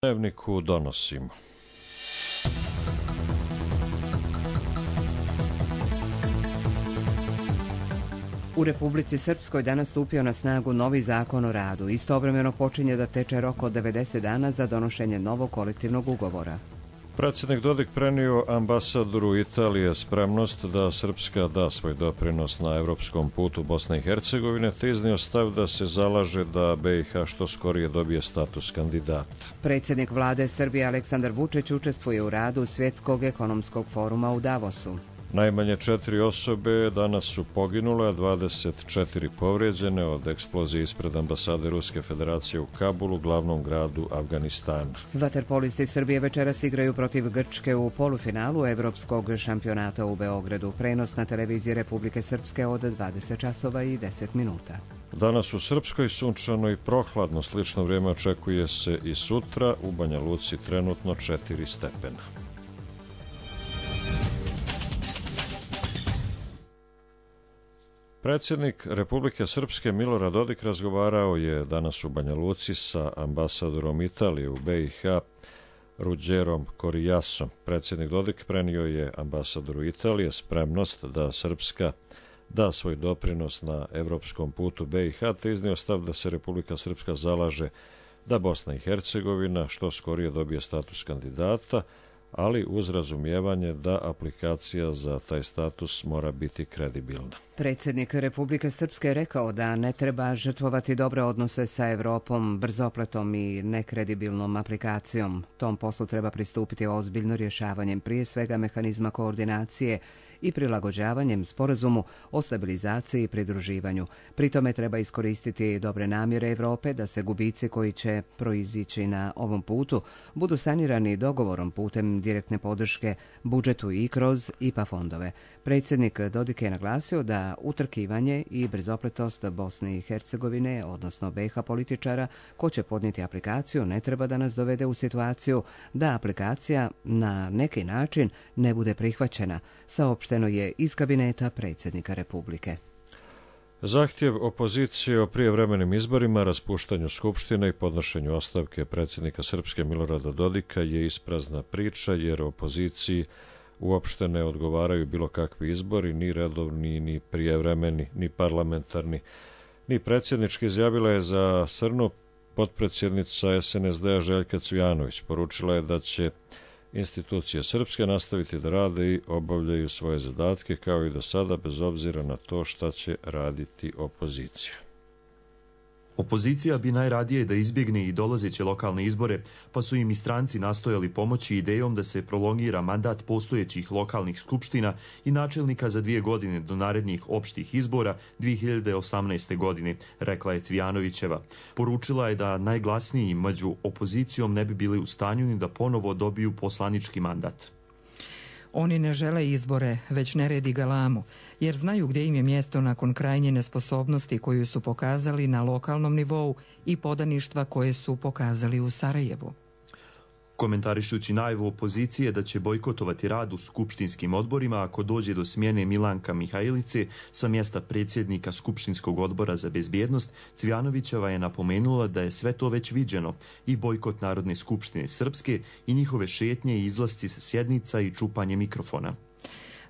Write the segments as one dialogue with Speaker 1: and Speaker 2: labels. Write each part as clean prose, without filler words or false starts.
Speaker 1: Dnevniku donosimo.
Speaker 2: U Republici Srpskoj danas stupio na snagu novi zakon o radu. Istovremeno počinje da teče rok od 90 dana za donošenje novog kolektivnog ugovora.
Speaker 1: Predsjednik Dodik prenio ambasadoru Italije spremnost da Srpska da svoj doprinos na evropskom putu Bosne i Hercegovine, te iznio stav da se zalaže da BiH što skorije dobije status kandidata.
Speaker 2: Predsjednik vlade Srbije Aleksandar Vučić učestvuje u radu Svjetskog ekonomskog foruma u Davosu.
Speaker 1: Najmanje 4 osobe danas su poginule, a 24 povrijeđene od eksplozije ispred ambasade Ruske federacije u Kabulu, glavnom gradu Afganistana.
Speaker 2: Vaterpolisti Srbije večeras igraju protiv Grčke u polufinalu Evropskog šampionata u Beogradu. Prenos na televiziji Republike Srpske od 20 časova i 10 minuta.
Speaker 1: Danas u Srpskoj sunčano i prohladno, slično vrijeme očekuje se i sutra, u Banja Luci trenutno 4 stepena. Predsjednik Republike Srpske Milorad Dodik razgovarao je danas u Banja Luci sa ambasadorom Italije u BiH Ruđerom Korijasom. Predsjednik Dodik prenio je ambasadoru Italije spremnost da Srpska da svoj doprinos na evropskom putu BiH, te iznio stav da se Republika Srpska zalaže da Bosna i Hercegovina što skorije dobije status kandidata, ali uz razumijevanje da aplikacija za taj status mora biti kredibilna.
Speaker 2: Predsjednik Republike Srpske je rekao da ne treba žrtvovati dobre odnose sa Evropom, brzopletom i nekredibilnom aplikacijom. Tom poslu treba pristupiti ozbiljno rješavanjem prije svega mehanizma koordinacije i prilagođavanjem sporazumu o stabilizaciji i pridruživanju. Pri tome treba iskoristiti dobre namjere Evrope da se gubici koji će proizići na ovom putu budu sanirani dogovorom putem direktne podrške budžetu i kroz IPA fondove. Predsjednik Dodik je naglasio da utrkivanje i brzopletost Bosne i Hercegovine, odnosno BiH političara, ko će podnijeti aplikaciju, ne treba da nas dovede u situaciju da aplikacija na neki način ne bude prihvaćena, saopšteno je iz kabineta predsjednika Republike.
Speaker 1: Zahtjev opozicije o prijevremenim izborima, raspuštanju Skupštine i podnošenju ostavke predsjednika Srpske Milorada Dodika je isprazna priča, jer opoziciji uopšte ne odgovaraju bilo kakvi izbori, ni redovni, ni prijevremeni, ni parlamentarni, ni predsjednički, izjavila je za Srnu potpredsjednica SNSD-a Željka Cvijanović. Poručila je da će institucije Srpske nastaviti da rade i obavljaju svoje zadatke kao i do sada, bez obzira na to šta će raditi opozicija.
Speaker 3: Opozicija bi najradije da izbjegne i dolazeće lokalne izbore, pa su im i stranci nastojali pomoći idejom da se prolongira mandat postojećih lokalnih skupština i načelnika za 2 godine do narednih opštih izbora 2018. godine, rekla je Cvijanovićeva. Poručila je da najglasniji među opozicijom ne bi bili u stanju ni da ponovo dobiju poslanički mandat.
Speaker 4: Oni ne žele izbore, već nered i galamu, jer znaju gdje im je mjesto nakon krajnje nesposobnosti koju su pokazali na lokalnom nivou i podaništva koje su pokazali u Sarajevu.
Speaker 3: Komentarišući najavu opozicije da će bojkotovati rad u skupštinskim odborima ako dođe do smjene Milanka Mihajlice sa mjesta predsjednika Skupštinskog odbora za bezbjednost, Cvijanovićeva je napomenula da je sve to već viđeno, i bojkot Narodne skupštine Srpske i njihove šetnje i izlasci sa sjednica i čupanje mikrofona.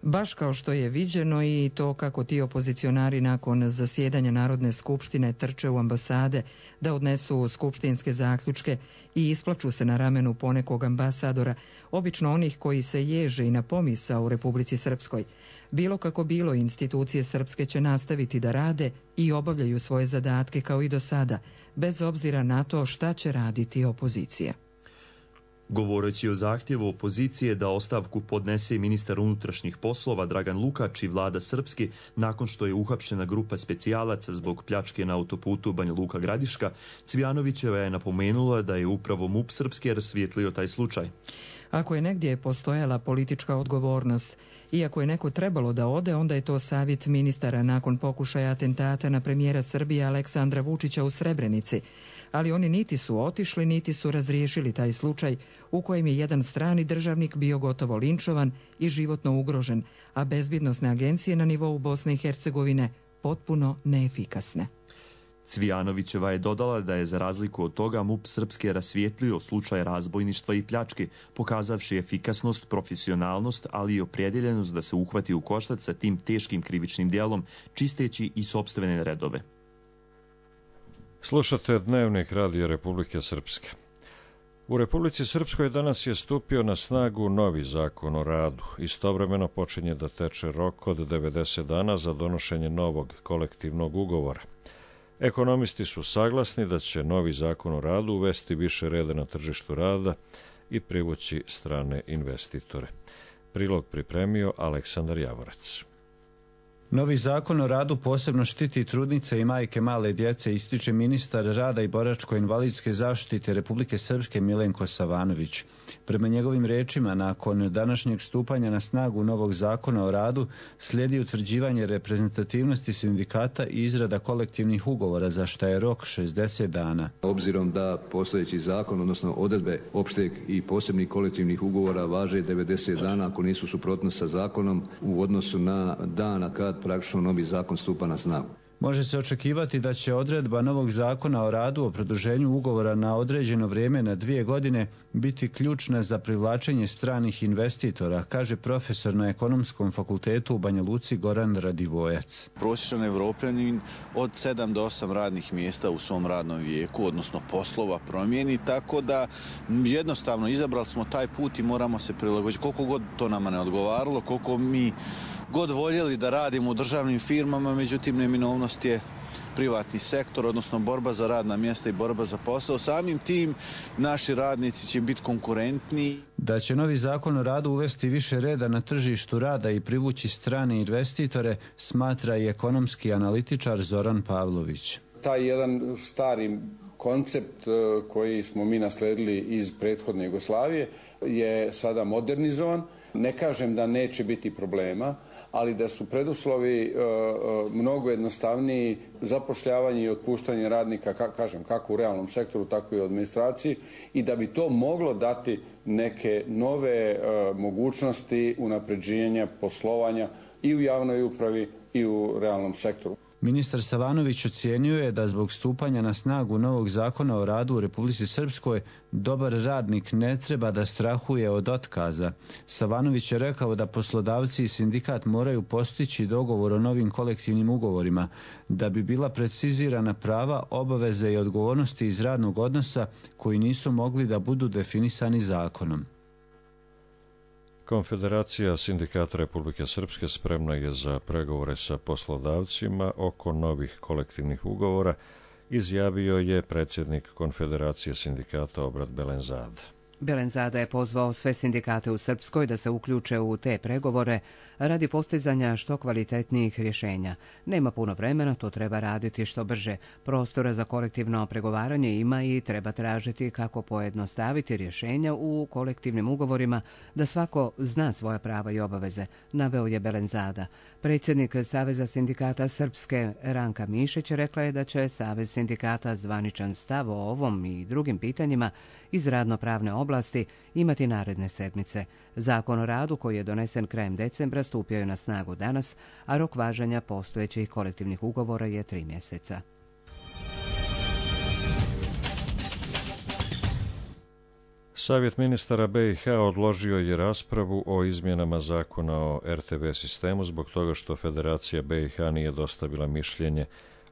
Speaker 4: Baš kao što je viđeno i to kako ti opozicionari nakon zasjedanja Narodne skupštine trče u ambasade da odnesu skupštinske zaključke i isplaču se na ramenu ponekog ambasadora, obično onih koji se ježe i na pomisao u Republici Srpskoj. Bilo kako bilo, institucije Srpske će nastaviti da rade i obavljaju svoje zadatke kao i do sada, bez obzira na to šta će raditi opozicija.
Speaker 3: Govoreći o zahtjevu opozicije da ostavku podnese ministar unutrašnjih poslova Dragan Lukač i vlada Srpske nakon što je uhapšena grupa specijalaca zbog pljačke na autoputu Banja Luka Gradiška, Cvijanovićeva je napomenula da je upravo MUP Srpske rasvijetlio taj slučaj.
Speaker 4: Ako je negdje postojala politička odgovornost i ako je neko trebalo da ode, onda je to savjet ministara nakon pokušaja atentata na premijera Srbije Aleksandra Vučića u Srebrenici. Ali oni niti su otišli, niti su razriješili taj slučaj u kojem je jedan strani državnik bio gotovo linčovan i životno ugrožen, a bezbjednosne agencije na nivou Bosne i Hercegovine potpuno neefikasne.
Speaker 3: Cvijanovićeva je dodala da je za razliku od toga MUP Srpske rasvijetlio slučaj razbojništva i pljačke, pokazavši efikasnost, profesionalnost, ali i opredjeljenost da se uhvati u koštac sa tim teškim krivičnim djelom, čisteći i sopstvene redove.
Speaker 1: Slušate Dnevnik Radija Republike Srpske. U Republici Srpskoj danas je stupio na snagu novi zakon o radu. Istovremeno počinje da teče rok od 90 dana za donošenje novog kolektivnog ugovora. Ekonomisti su saglasni da će novi zakon o radu uvesti više reda na tržištu rada i privući strane investitore. Prilog pripremio Aleksandar Javorac.
Speaker 5: Novi zakon o radu posebno štiti trudnice i majke male djece, ističe ministar rada i boračko-invalidske zaštite Republike Srpske Milenko Savanović. Prema njegovim rečima, nakon današnjeg stupanja na snagu novog zakona o radu slijedi utvrđivanje reprezentativnosti sindikata i izrada kolektivnih ugovora, za što je rok 60 dana.
Speaker 6: Obzirom da postojeći zakon, odnosno odredbe opšteg i posebnih kolektivnih ugovora važe 90 dana ako nisu suprotno sa zakonom u odnosu na dana kad praktično novi zakon stupa na snagu.
Speaker 5: Može se očekivati da će odredba novog zakona o radu o produženju ugovora na određeno vrijeme na 2 godine biti ključna za privlačenje stranih investitora, kaže profesor na Ekonomskom fakultetu u Banja Luci Goran Radivojac.
Speaker 7: Prosječan Evropljanin od 7 do 8 radnih mjesta u svom radnom vijeku, odnosno poslova, promijeni, tako da jednostavno izabrali smo taj put i moramo se prilagoditi. Koliko god to nama ne odgovaralo, koliko mi god voljeli da radimo u državnim firmama, međutim neminovnost je privatni sektor, odnosno borba za radna mjesta i borba za posao. Samim tim naši radnici će biti konkurentni.
Speaker 5: Da će novi zakon o radu uvesti više reda na tržištu rada i privući strane investitore, smatra i ekonomski analitičar Zoran Pavlović.
Speaker 8: Taj jedan stari koncept koji smo mi nasledili iz prethodne Jugoslavije je sada modernizovan. Ne kažem da neće biti problema, ali da su preduslovi mnogo jednostavniji zapošljavanje i otpuštanje radnika, kažem, kako u realnom sektoru, tako i u administraciji, i da bi to moglo dati neke nove mogućnosti unapređenja poslovanja i u javnoj upravi i u realnom sektoru.
Speaker 5: Ministar Savanović ocijenio je da zbog stupanja na snagu novog zakona o radu u Republici Srpskoj dobar radnik ne treba da strahuje od otkaza. Savanović je rekao da poslodavci i sindikat moraju postići dogovor o novim kolektivnim ugovorima da bi bila precizirana prava, obaveze i odgovornosti iz radnog odnosa koji nisu mogli da budu definisani zakonom.
Speaker 1: Konfederacija sindikata Republike Srpske spremna je za pregovore sa poslodavcima oko novih kolektivnih ugovora, izjavio je predsjednik Konfederacije sindikata Obrat Belenzada.
Speaker 2: Belenzada je pozvao sve sindikate u Srpskoj da se uključe u te pregovore radi postizanja što kvalitetnijih rješenja. Nema puno vremena, to treba raditi što brže. Prostora za kolektivno pregovaranje ima i treba tražiti kako pojednostaviti rješenja u kolektivnim ugovorima da svako zna svoja prava i obaveze, naveo je Belenzada. Predsjednik Saveza sindikata Srpske Ranka Mišić rekla je da će Savez sindikata zvaničan stav o ovom i drugim pitanjima iz radno-pravne oblasti imati naredne sedmice. Zakon o radu koji je donesen krajem decembra stupio je na snagu danas, a rok važenja postojećih kolektivnih ugovora je 3 mjeseca.
Speaker 1: Savjet ministara BiH odložio je raspravu o izmjenama zakona o RTV sistemu zbog toga što Federacija BiH nije dostavila mišljenje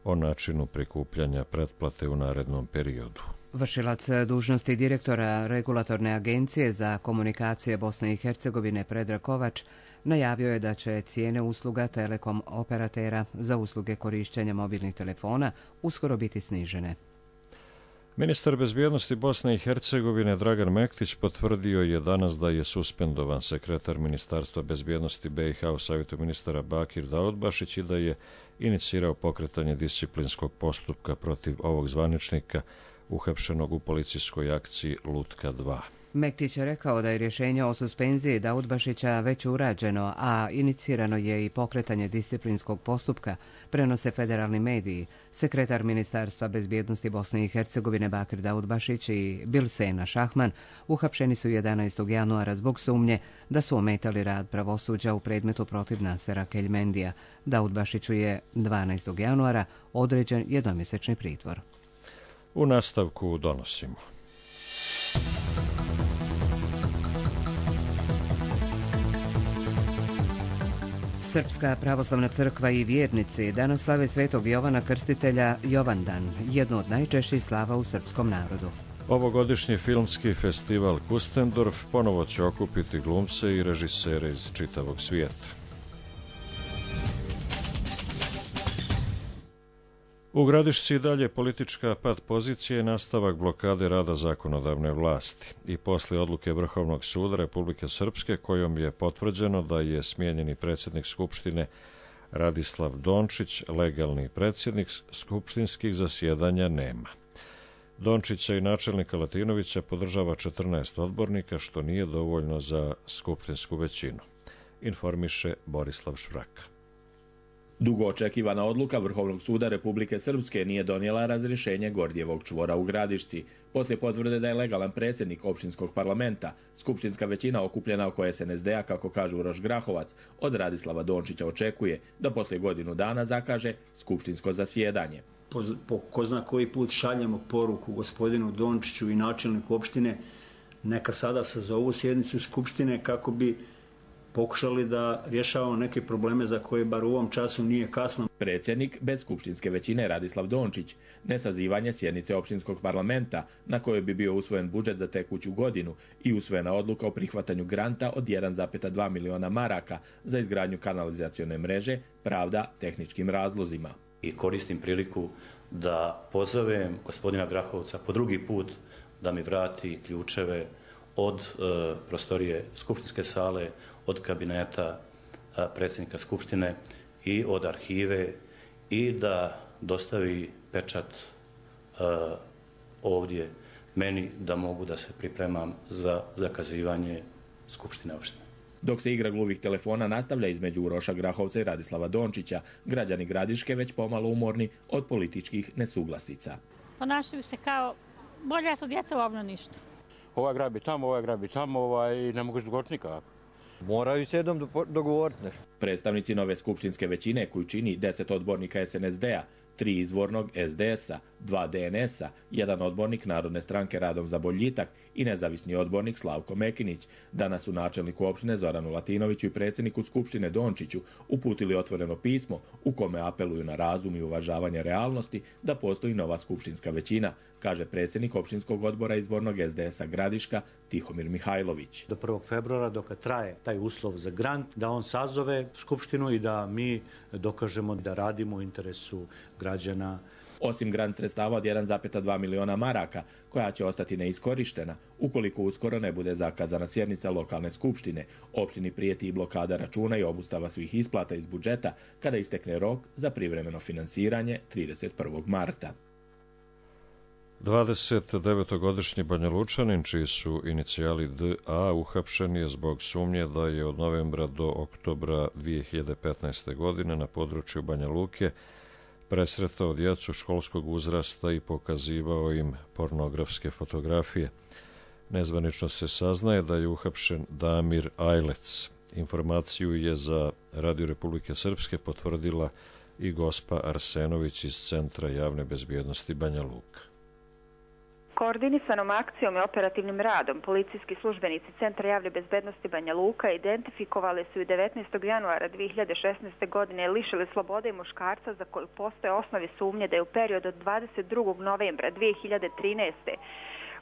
Speaker 1: o načinu prikupljanja pretplate u narednom periodu.
Speaker 2: Vršilac dužnosti direktora Regulatorne agencije za komunikacije Bosne i Hercegovine Predrag Kovač najavio je da će cijene usluga telekom operatera za usluge korišćenja mobilnih telefona uskoro biti snižene.
Speaker 1: Ministar bezbjednosti Bosne i Hercegovine Dragan Mektić potvrdio je danas da je suspendovan sekretar Ministarstva bezbjednosti BiH u Savjetu ministara Bakir Daudbašić i da je inicirao pokretanje disciplinskog postupka protiv ovog zvaničnika uhapšenog u policijskoj akciji Lutka 2.
Speaker 2: Mektić je rekao da je rješenje o suspenziji Daudbašića već urađeno, a inicirano je i pokretanje disciplinskog postupka, prenose federalni mediji. Sekretar Ministarstva bezbjednosti Bosne i Hercegovine Bakir Daudbašić i Bilsena Šahman uhapšeni su 11. januara zbog sumnje da su ometali rad pravosuđa u predmetu protiv Nasera Keljmendija. Daudbašiću je 12. januara određen jednomjesečni pritvor.
Speaker 1: U nastavku donosimo.
Speaker 2: Srpska pravoslavna crkva i vjernici danas slave svetog Jovana Krstitelja Jovandan, jednu od najčešćih slava u srpskom narodu.
Speaker 1: Ovogodišnji filmski festival Kustendorf ponovo će okupiti glumce i režisere iz čitavog svijeta. U Gradišci i dalje politička pad pozicije i nastavak blokade rada zakonodavne vlasti. I posle odluke Vrhovnog suda Republike Srpske kojom je potvrđeno da je smijenjeni predsjednik Skupštine Radislav Dončić legalni predsjednik, skupštinskih zasjedanja nema. Dončića i načelnika Latinovića podržava 14 odbornika, što nije dovoljno za skupštinsku većinu, informiše Borislav Švraka.
Speaker 9: Dugo očekivana odluka Vrhovnog suda Republike Srpske nije donijela razrješenje Gordijevog čvora u Gradišci. Poslije potvrde da je legalan predsjednik općinskog parlamenta, skupštinska većina okupljena oko SNSD-a, kako kaže Uroš Grahovac, od Radislava Dončića očekuje da poslije godinu dana zakaže skupštinsko zasjedanje.
Speaker 10: Po ko zna koji put šaljemo poruku gospodinu Dončiću i načelniku opštine neka sada sazovu sjednicu skupštine kako bi pokušali da rješavamo neke probleme za koje bar u ovom času nije kasno.
Speaker 9: Predsjednik bez skupštinske većine Radislav Dončić, nesazivanje sjednice općinskog parlamenta na kojoj bi bio usvojen budžet za tekuću godinu i usvojena odluka o prihvatanju granta od 1,2 miliona maraka za izgradnju kanalizacione mreže, pravda tehničkim razlozima.
Speaker 11: I koristim priliku da pozovem gospodina Grahovca po drugi put da mi vrati ključeve od prostorije skupštinske sale, od kabineta predsjednika Skupštine i od arhive i da dostavi pečat ovdje meni da mogu da se pripremam za zakazivanje Skupštine opštine.
Speaker 9: Dok se igra gluvih telefona nastavlja između Uroša Grahovca i Radislava Dončića, građani Gradiške već pomalo umorni od političkih nesuglasica.
Speaker 12: Ponašaju se kao bolje su djeca u obnoništu.
Speaker 13: Ova grabi tamo i ne mogu izgovoriti nikako.
Speaker 14: Moraju se jednom dogovoriti nešto.
Speaker 9: Predstavnici nove skupštinske većine koju čini 10 odbornika SNSD-a, 3 izvornog SDS-a, 2 DNS-a, 1 odbornik Narodne stranke Radom za boljitak i nezavisni odbornik Slavko Mekinić, danas su načelniku opštine Zoranu Latinoviću i predsjedniku Skupštine Dončiću uputili otvoreno pismo u kome apeluju na razum i uvažavanje realnosti da postoji nova skupštinska većina, kaže predsjednik opštinskog odbora izbornog SDS-a Gradiška Tihomir Mihajlović.
Speaker 15: Do 1. februara dok traje taj uslov za grant, da on sazove skupštinu i da mi dokažemo da radimo u interesu građana.
Speaker 9: Osim grant sredstava od 1,2 miliona maraka, koja će ostati neiskorištena, ukoliko uskoro ne bude zakazana sjednica lokalne skupštine, opštini prijeti i blokada računa i obustava svih isplata iz budžeta kada istekne rok za privremeno finansiranje 31. marta.
Speaker 1: 29-godišnji Banjalučanin, čiji su inicijali DA, uhapšen je zbog sumnje da je od novembra do oktobra 2015. godine na području Banja Luke presretao djecu školskog uzrasta i pokazivao im pornografske fotografije. Nezvanično se saznaje da je uhapšen Damir Ajlec. Informaciju je za Radio Republike Srpske potvrdila i gospa Arsenović iz Centra javne bezbjednosti Banja Luka.
Speaker 16: Koordinisanom akcijom i operativnim radom policijski službenici Centra javne bezbednosti Banja Luka identifikovali su i 19. januara 2016. godine lišili slobode muškarca za koju postoje osnovi sumnje da je u periodu od 22. novembra 2013.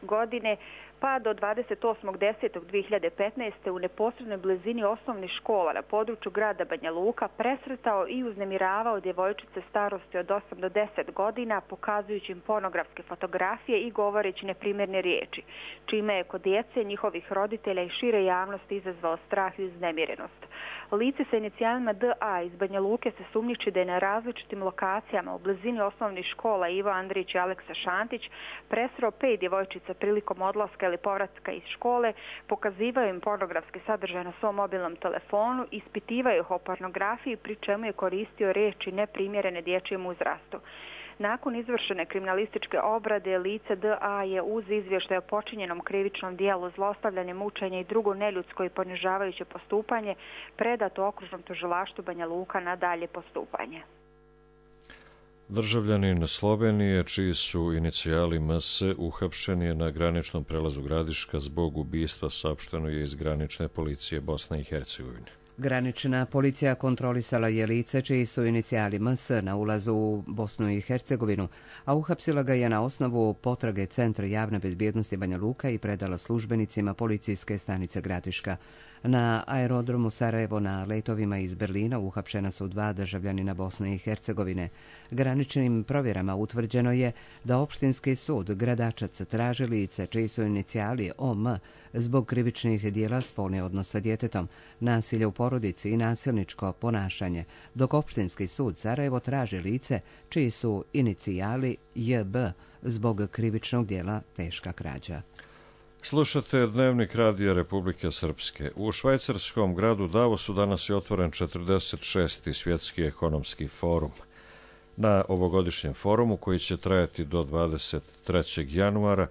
Speaker 16: godine pa do 28.10.2015. u neposrednoj blizini osnovnih škola na području grada Banja Luka presretao i uznemiravao djevojčice starosti od 8 do 10 godina, pokazujući im pornografske fotografije i govoreći neprimjerne riječi, čime je kod djece, njihovih roditelja i šire javnosti izazvao strah i uznemirenost. Lice sa inicijalima DA iz Banja Luke se sumnjiči da je na različitim lokacijama u blizini osnovnih škola Ivo Andrić i Aleksa Šantić presreo 5 djevojčica prilikom odlaska ili povratka iz škole, pokazivaju im pornografski sadržaj na svom mobilnom telefonu, ispitivaju ih o pornografiji, pri čemu je koristio riječi neprimjerene dječjem uzrastu. Nakon izvršene kriminalističke obrade, lice DA je uz izvještaj o počinjenom krivičnom dijelu zlostavljanje, mučenje i drugo neljudsko i ponižavajuće postupanje predato okružnom tužilaštvu Banja Luka na dalje postupanje.
Speaker 1: Državljanin Slovenije, čiji su inicijali MS, uhapšen je na graničnom prelazu Gradiška zbog ubistva, saopšteno je iz granične policije Bosne i Hercegovine.
Speaker 2: Granična policija kontrolisala je lice čiji su inicijali MS na ulazu u Bosnu i Hercegovinu, a uhapsila ga je na osnovu potrage Centra javne bezbjednosti Banja Luka i predala službenicima policijske stanice Gradiška. Na aerodromu Sarajevo na letovima iz Berlina uhapšena su 2 državljanina Bosne i Hercegovine. Graničnim provjerama utvrđeno je da opštinski sud Gradačac traži lice čiji su inicijali OM zbog krivičnih dijela spolni odnos sa djetetom, nasilje u porodici i nasilničko ponašanje, dok opštinski sud Sarajevo traži lice čiji su inicijali JB zbog krivičnog dijela teška krađa.
Speaker 1: Slušate Dnevnik Radija Republike Srpske. U švajcarskom gradu Davosu danas je otvoren 46. svjetski ekonomski forum. Na ovogodišnjem forumu, koji će trajati do 23. januara,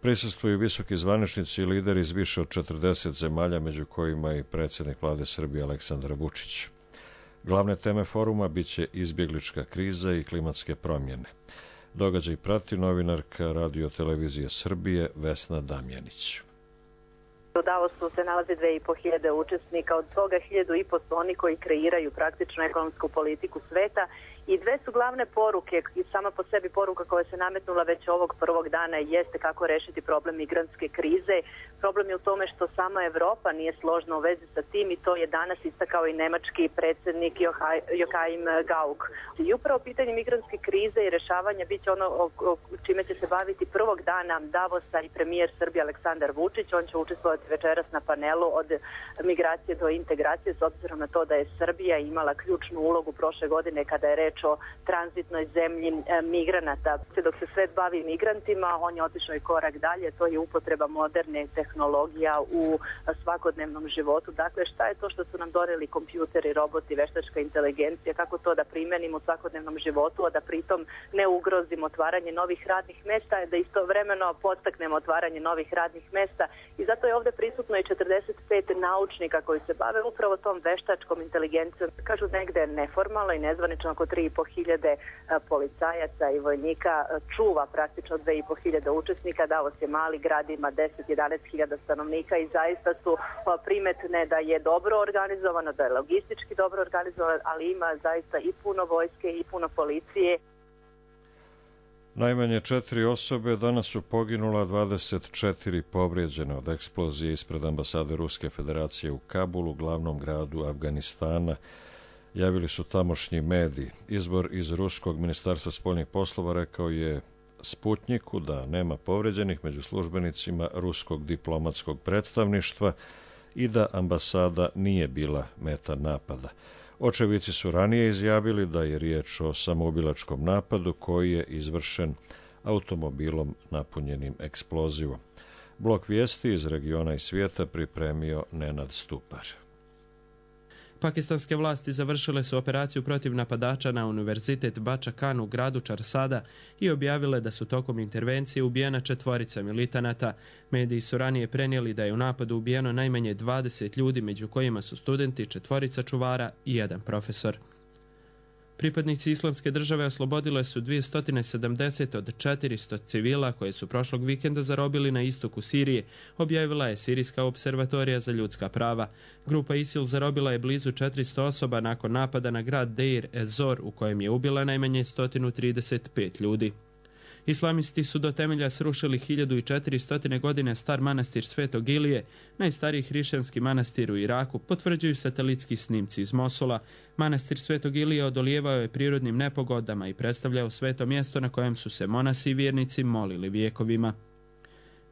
Speaker 1: prisustvuju visoki zvaničnici i lideri iz više od 40 zemalja, među kojima i predsjednik vlade Srbije Aleksandar Vučić. Glavne teme foruma biće izbjeglička kriza i klimatske promjene. Događaj prati novinarka Radio televizije Srbije Vesna Damjanić.
Speaker 17: U Davosu se nalazi 2500 učesnika, od toga 1500 su oni koji kreiraju praktično ekonomsku politiku sveta. I 2 su glavne poruke, i sama po sebi poruka koja se nametnula već ovog prvog dana jeste kako rešiti problem migrantske krize. Problem je u tome što sama Evropa nije složna u vezi sa tim i to je danas istakao i nemački predsjednik Joachim Gauck. I upravo pitanje migrantske krize i rešavanja bit će ono čime će se baviti prvog dana Davosa i premijer Srbije Aleksandar Vučić. On će učestvovati večeras na panelu od migracije do integracije, s obzirom na to da je Srbija imala ključnu ulogu prošle godine kada je reč o tranzitnoj zemlji migranata. Dok se svet bavi migrantima, on je otišao i korak dalje, to je upotreba moderne tehnologija u svakodnevnom životu. Dakle, šta je to što su nam doneli kompjuteri, roboti, veštačka inteligencija, kako to da primenimo u svakodnevnom životu, a da pritom ne ugrozimo otvaranje novih radnih mesta, da istovremeno podstaknemo otvaranje novih radnih mesta. I zato je ovdje prisutno i 45 naučnika koji se bave upravo tom veštačkom inteligencijom. Kažu negde neformalno i nezvanično oko 3500 policajaca i vojnika čuva praktično 2500 učesnika. Davos je mali grad, ima 10-11 hiljada stanovnika i zaista su primetne da je dobro organizovano, da je logistički dobro organizovano, ali ima zaista i puno vojske i puno policije.
Speaker 1: Najmanje 4 osobe danas su poginula, 24 povrijeđene od eksplozije ispred ambasade Ruske federacije u Kabulu, glavnom gradu Afganistana, javili su tamošnji mediji. Izbor iz Ruskog ministarstva spoljnih poslova rekao je Sputnjiku da nema povrijeđenih među službenicima Ruskog diplomatskog predstavništva i da ambasada nije bila meta napada. Očevici su ranije izjavili da je riječ o samoubilačkom napadu koji je izvršen automobilom napunjenim eksplozivom. Blok vijesti iz regiona i svijeta pripremio Nenad Stupar.
Speaker 18: Pakistanske vlasti završile su operaciju protiv napadača na univerzitet Bača Kan u gradu Čarsada i objavile da su tokom intervencije ubijena 4 militanata. Mediji su ranije prenijeli da je u napadu ubijeno najmanje 20 ljudi, među kojima su studenti, 4 čuvara i 1 profesor. Pripadnici Islamske države oslobodile su 270 od 400 civila koje su prošlog vikenda zarobili na istoku Sirije, objavila je Sirijska observatorija za ljudska prava. Grupa ISIL zarobila je blizu 400 osoba nakon napada na grad Deir ez-Zor, u kojem je ubila najmanje 135 ljudi. Islamisti su do temelja srušili 1400 godine star manastir Svetog Ilije, najstariji hrišćanski manastir u Iraku, potvrđuju satelitski snimci iz Mosula. Manastir Svetog Ilije odolijevao je prirodnim nepogodama i predstavljao sveto mjesto na kojem su se monasi i vjernici molili vjekovima.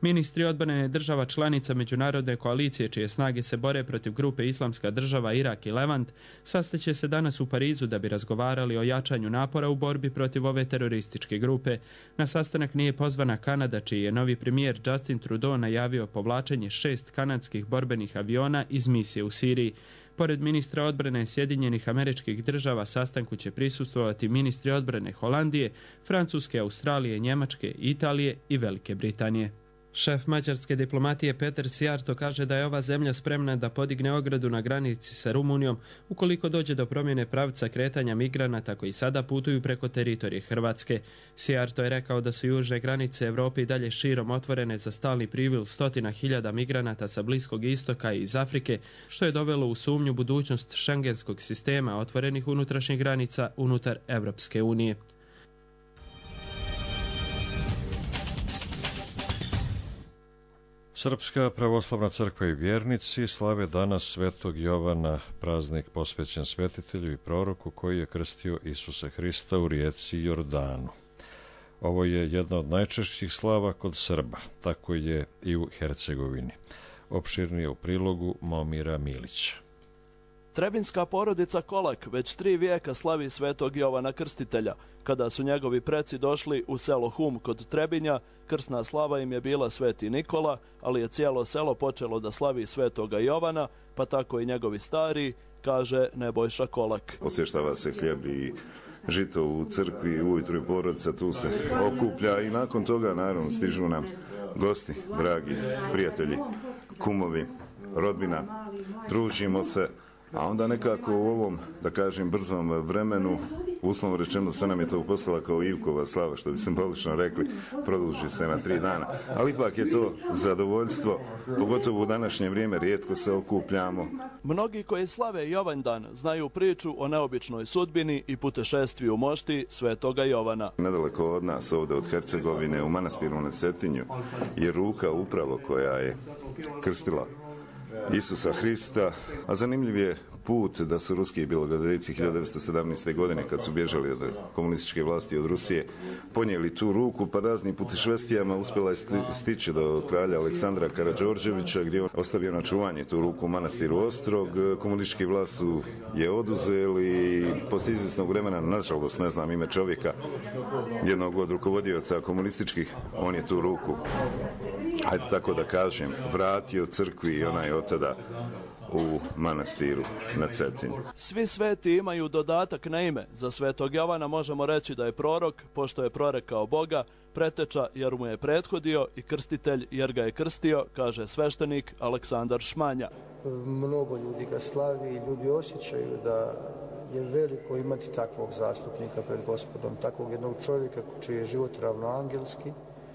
Speaker 18: Ministri odbrane država članica međunarodne koalicije čije snage se bore protiv grupe Islamska država, Irak i Levant sastaće se danas u Parizu da bi razgovarali o jačanju napora u borbi protiv ove terorističke grupe. Na sastanak nije pozvana Kanada, čiji je novi premijer Justin Trudeau najavio povlačenje 6 kanadskih borbenih aviona iz misije u Siriji. Pored ministra odbrane Sjedinjenih Američkih Država sastanku će prisustvovati ministri odbrane Holandije, Francuske, Australije, Njemačke, Italije i Velike Britanije. Šef mađarske diplomatije Peter Sijarto kaže da je ova zemlja spremna da podigne ogradu na granici sa Rumunijom ukoliko dođe do promjene pravca kretanja migranata koji sada putuju preko teritorije Hrvatske. Sijarto je rekao da su južne granice Europe i dalje širom otvorene za stalni priliv 100.000 migranata sa Bliskog istoka i iz Afrike, što je dovelo u sumnju budućnost šengenskog sistema otvorenih unutrašnjih granica unutar Europske unije.
Speaker 1: Srpska pravoslavna crkva i vjernici slave danas Svetog Jovana, praznik posvećen svetitelju i proroku koji je krstio Isusa Hrista u rijeci Jordanu. Ovo je jedna od najčešćih slava kod Srba, tako je i u Hercegovini. Opširnije u prilogu Momira Milića.
Speaker 19: Trebinska porodica Kolak već 3 vijeka slavi Svetog Jovana Krstitelja. Kada su njegovi preci došli u selo Hum kod Trebinja, krsna slava im je bila Sveti Nikola, ali je cijelo selo počelo da slavi Svetoga Jovana, pa tako i njegovi stari, kaže Nebojša Kolak.
Speaker 20: Osvještava se hljeb i žito u crkvi, ujutru i porodica tu se okuplja i nakon toga naravno stižu nam gosti, dragi prijatelji, kumovi, rodbina, družimo se. A onda nekako u ovom, da kažem, brzom vremenu, uslovno rečeno, sve nam je to upostala kao Ivkova slava, što bi simbolično rekli, produži se na 3 dana. Ali ipak je to zadovoljstvo, pogotovo u današnje vrijeme, rijetko se okupljamo.
Speaker 19: Mnogi koji slave Jovandan znaju priču o neobičnoj sudbini i putešestviju mošti Svetoga Jovana.
Speaker 20: Nedaleko od nas, ovdje od Hercegovine, u manastiru na Cetinju, je ruka upravo koja je krstila Isusa Hrista, a zanimljiv je put da su ruski bjelogradejci 1917. godine, kad su bježali od komunističke vlasti od Rusije, ponijeli tu ruku, pa raznim putešestvijama uspjela je stići do kralja Aleksandra Karađorđevića, gdje on ostavio na čuvanje tu ruku u manastiru Ostrog. Komunistički vlast su je oduzeli i poslije izvjesnog vremena, nažalost ne znam ime čovjeka, jednog od rukovodioca komunističkih, on je tu ruku, hajde tako da kažem, vratio crkvi i ona je od tada u manastiru na Cetinju.
Speaker 19: Svi sveti imaju dodatak na ime. Za Svetog Jovana možemo reći da je prorok, pošto je prorekao Boga, preteča jer mu je prethodio i krstitelj jer ga je krstio, kaže sveštenik Aleksandar Šmanja.
Speaker 21: Mnogo ljudi ga slavi i ljudi osjećaju da je veliko imati takvog zastupnika pred Gospodom, takvog jednog čovjeka čiji je život ravnoangelski.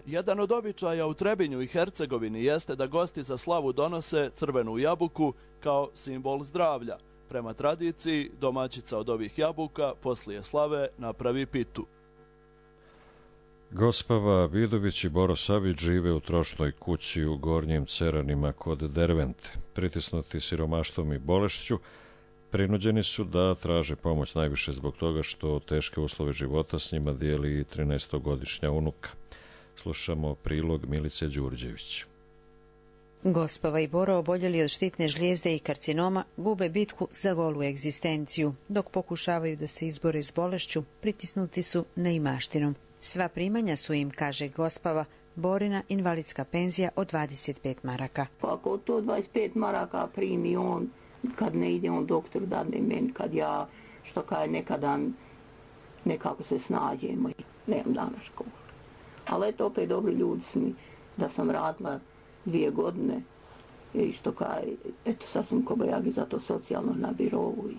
Speaker 19: Jedan od običaja u Trebinju i Hercegovini jeste da gosti za slavu donose crvenu jabuku kao simbol zdravlja. Prema tradiciji, domaćica od ovih jabuka poslije slave napravi pitu.
Speaker 1: Gospava Vidović i Boro Savić žive u trošnoj kući u Gornjim Ceranima kod Dervente. Pritisnuti siromaštvom i bolešću, prinuđeni su da traže pomoć najviše zbog toga što teške uslove života s njima dijeli 13-godišnja unuka. Slušamo prilog Milice Đurđević.
Speaker 22: Gospava i Boro, oboljeli od štitne žlijezde i karcinoma, gube bitku za golu egzistenciju. Dok pokušavaju da se izbore s bolešću, pritisnuti su neimaštinom. Sva primanja su im, kaže Gospava, Borina invalidska penzija od 25 maraka.
Speaker 23: Ako to 25 maraka primi on, kad ne ide on doktor dadne meni, kad ja, što kaže, nekadan nekako se snađemo i nemam dana školu. Ali eto, opet dobri ljudi su mi da sam radila 2 godine i što kaže, eto sad sam kobajagi za to socijalno na birovu i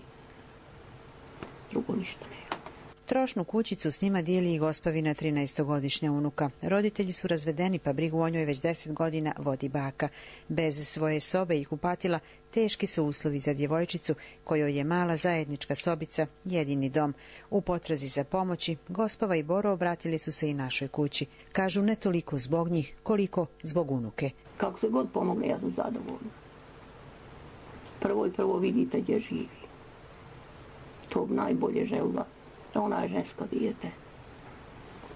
Speaker 23: drugo ništa nema.
Speaker 22: Trošnu kućicu s njima dijeli i Gospavina 13-godišnja unuka. Roditelji su razvedeni pa brigu o njoj već 10 godina vodi baka. Bez svoje sobe i kupatila teški su uslovi za djevojčicu kojoj je mala zajednička sobica jedini dom. U potrazi za pomoći Gospava i Boro obratili su se i našoj kući. Kažu ne toliko zbog njih koliko zbog unuke.
Speaker 23: Kako se god pomogne, ja sam zadovoljna. Prvo vidite gdje živi. To najbolje želila. Ona je žensko dijete.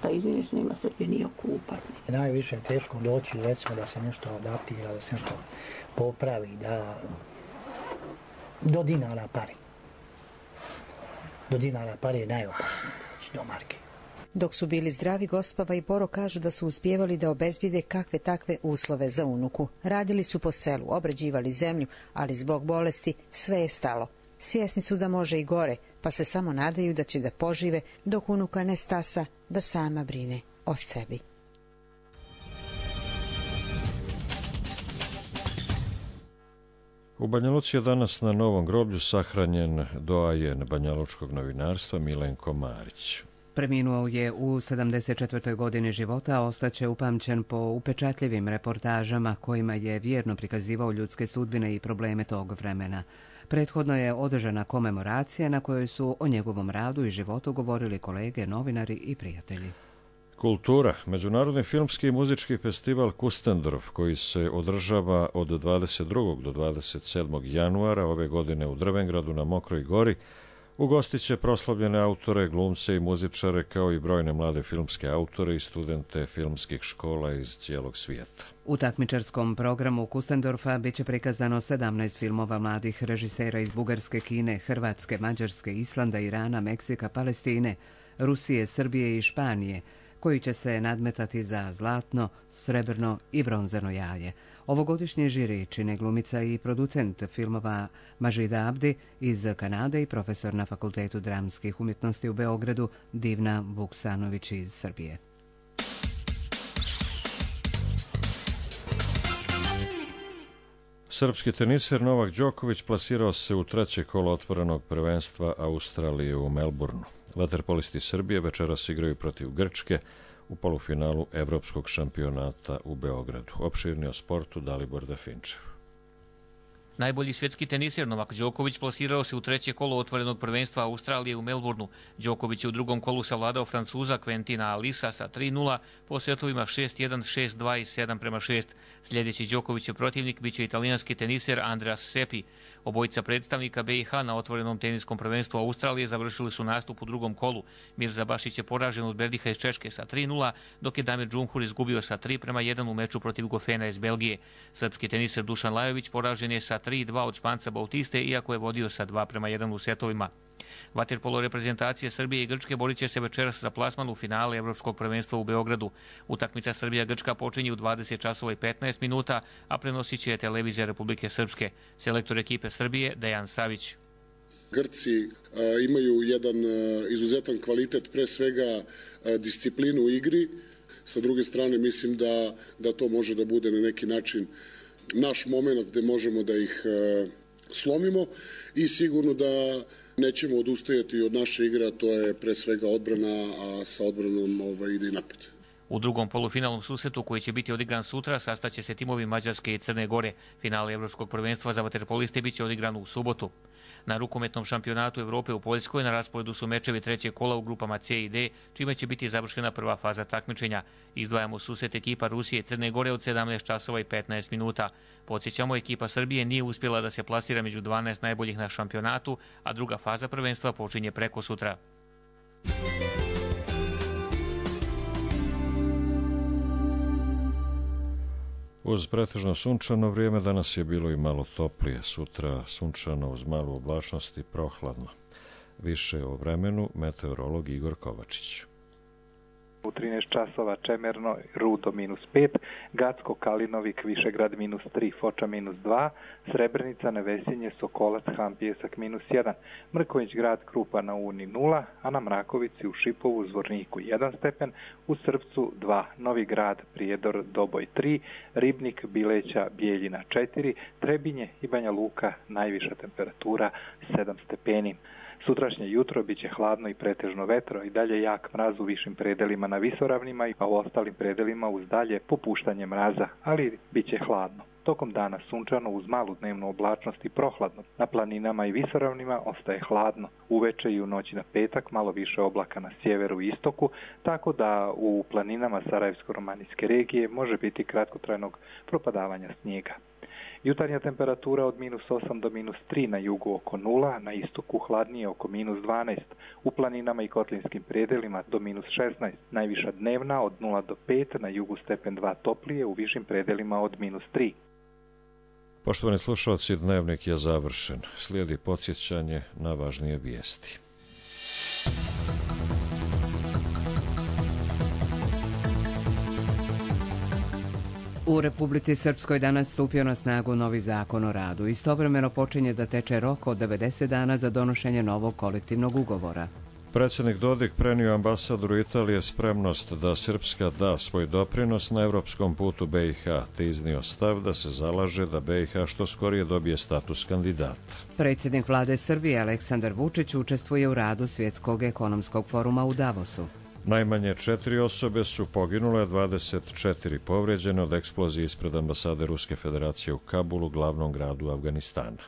Speaker 23: šta izviniš, nema Srbije nije okupati.
Speaker 3: Najviše je teško doći, recimo, da se nešto adaptira, da se nešto popravi, da do dinara pari. Do dinara pari je najopasnije doći do marke.
Speaker 22: Dok su bili zdravi, Gospava i Boro kažu da su uspjevali da obezbijede kakve takve uslove za unuku. Radili su po selu, obrađivali zemlju, ali zbog bolesti sve je stalo. Svjesni su da može i gore, pa se samo nadaju da će da požive dok unuka ne stasa, da sama brine o sebi.
Speaker 1: U Banja Luci je danas na Novom groblju sahranjen doajen banjalučkog novinarstva Milenko Marić.
Speaker 2: Preminuo je u 74. godini života, a ostaće upamćen po upečatljivim reportažama kojima je vjerno prikazivao ljudske sudbine i probleme tog vremena. Prethodno je održana komemoracija na kojoj su o njegovom radu i životu govorili kolege, novinari i prijatelji.
Speaker 1: Kultura. Međunarodni filmski i muzički festival Kustendorf, koji se održava od 22. do 27. januara ove godine u Drvengradu na Mokroj gori, ugostit će proslavljene autore, glumce i muzičare, kao i brojne mlade filmske autore i studente filmskih škola iz cijelog svijeta.
Speaker 2: U takmičarskom programu Kustendorfa bit će prikazano 17 filmova mladih režisera iz Bugarske, Kine, Hrvatske, Mađarske, Islanda, Irana, Meksika, Palestine, Rusije, Srbije i Španije, koji će se nadmetati za zlatno, srebrno i bronzano jaje. Ovogodišnje žiri čine glumica i producent filmova Mažida Abdi iz Kanade i profesor na Fakultetu dramskih umjetnosti u Beogradu Divna Vuksanović iz Srbije.
Speaker 1: Srpski teniser Novak Đoković plasirao se u treće kolo otvorenog prvenstva Australije u Melbourneu. Vaterpolisti Srbije večeras igraju protiv Grčke u polufinalu Evropskog šampionata u Beogradu. Opširnije o sportu Dalibor Dafinčev.
Speaker 4: Najbolji svjetski teniser Novak Đoković plasirao se u treće kolo otvorenog prvenstva Australije u Melbourneu. Đoković je u drugom kolu savladao Francuza Quentina Alisa sa 3:0 po setovima 6:1, 6:2 i 7:6. Sljedeći Đokovićev protivnik biće italijanski teniser Andreas Seppi. Obojica predstavnika BiH na otvorenom teniskom prvenstvu Australije završili su nastup u drugom kolu. Mirza Bašić je poražen od Berdiha iz Češke sa 3:0, dok je Damir Džumhur izgubio sa 3:1 u meču protiv Gofena iz Belgije. Srpski teniser Dušan Lajović poražen je sa 3:2 od Španca Bautiste, iako je vodio sa 2:1 u setovima. Vaterpolo reprezentacije Srbije i Grčke borit će se večeras za plasman u finale Evropskog prvenstva u Beogradu. Utakmica Srbija-Grčka počinje u 20 časova i 15 minuta, a prenosit će televizija Republike Srpske. Selektor ekipe Srbije Dejan Savić.
Speaker 6: Grci imaju jedan izuzetan kvalitet, pre svega disciplinu u igri. Sa druge strane mislim da to može da bude na neki način naš moment gde možemo da ih slomimo i sigurno da nećemo odustajati od naše igre, a to je pre svega odbrana, a sa odbranom ide i napad.
Speaker 4: U drugom polufinalnom susretu koji će biti odigran sutra sastaće se timovi Mađarske i Crne Gore. Finale Evropskog prvenstva za vaterpoliste biće odigran u subotu. Na rukometnom šampionatu Evrope u Poljskoj na rasporedu su mečevi trećeg kola u grupama C i D, čime će biti završena prva faza takmičenja. Izdvajamo susret ekipa Rusije i Crne Gore od 17 časova i 15 minuta. Podsjećamo, ekipa Srbije nije uspjela da se plasira među 12 najboljih na šampionatu, a druga faza prvenstva počinje preko sutra.
Speaker 1: Uz pretežno sunčano vrijeme danas je bilo i malo toplije, sutra sunčano uz malu oblačnost i prohladno. Više o vremenu meteorolog Igor Kovačić.
Speaker 24: U 13 časova Čemerno, Rudo -5, Gacko, Kalinovik, Višegrad -3, Foča -2, Srebrenica, Nevesinje, Sokolac, Han, Pjesak -1, Mrković grad, Krupa na Uni 0, a na Mrakovici u Šipovu, Zvorniku 1 stepen, u Srpcu 2, Novi grad, Prijedor, Doboj 3, Ribnik, Bileća, Bijeljina 4, Trebinje i Banja Luka, najviša temperatura 7 stepeni. Sutrašnje jutro biće hladno i pretežno vetro i dalje jak mraz u višim predelima na visoravnima, a u ostalim predelima uz dalje popuštanje mraza, ali biće hladno. Tokom dana sunčano uz malu dnevnu oblačnost i prohladno. Na planinama i visoravnima ostaje hladno. Uveče i u noći na petak malo više oblaka na sjeveru i istoku, tako da u planinama Sarajevsko-romanijske regije može biti kratkotrajnog propadavanja snijega. Jutarnja temperatura od -8 do -3, na jugu oko 0, na istoku hladnije oko -12, u planinama i kotlinskim predelima do -16, najviša dnevna od 0 do 5, na jugu stepen 2 toplije, u višim predelima od -3.
Speaker 1: Poštovani slušalci, dnevnik je završen. Slijedi podsjećanje na važnije vijesti.
Speaker 2: U Republici Srpskoj danas stupio na snagu novi zakon o radu. Istovremeno počinje da teče rok od 90 dana za donošenje novog kolektivnog ugovora.
Speaker 1: Predsjednik Dodik prenio ambasadoru Italije spremnost da Srpska da svoj doprinos na evropskom putu BiH, te iznio stav da se zalaže da BiH što skorije dobije status kandidata.
Speaker 2: Predsjednik vlade Srbije Aleksandar Vučić učestvuje u radu Svjetskog ekonomskog foruma u Davosu.
Speaker 1: Najmanje 4 osobe su poginule, 24 povrijeđene od eksplozije ispred ambasade Ruske federacije u Kabulu, glavnom gradu Afganistana.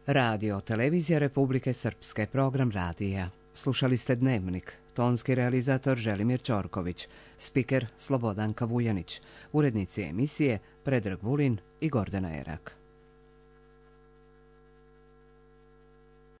Speaker 2: Radio, televizija Republike Srpske, program radija. Slušali ste Dnevnik, tonski realizator Želimir Ćorković, spiker Slobodanka Vujanić, urednici emisije Predrag Vulin i Gordana Erak.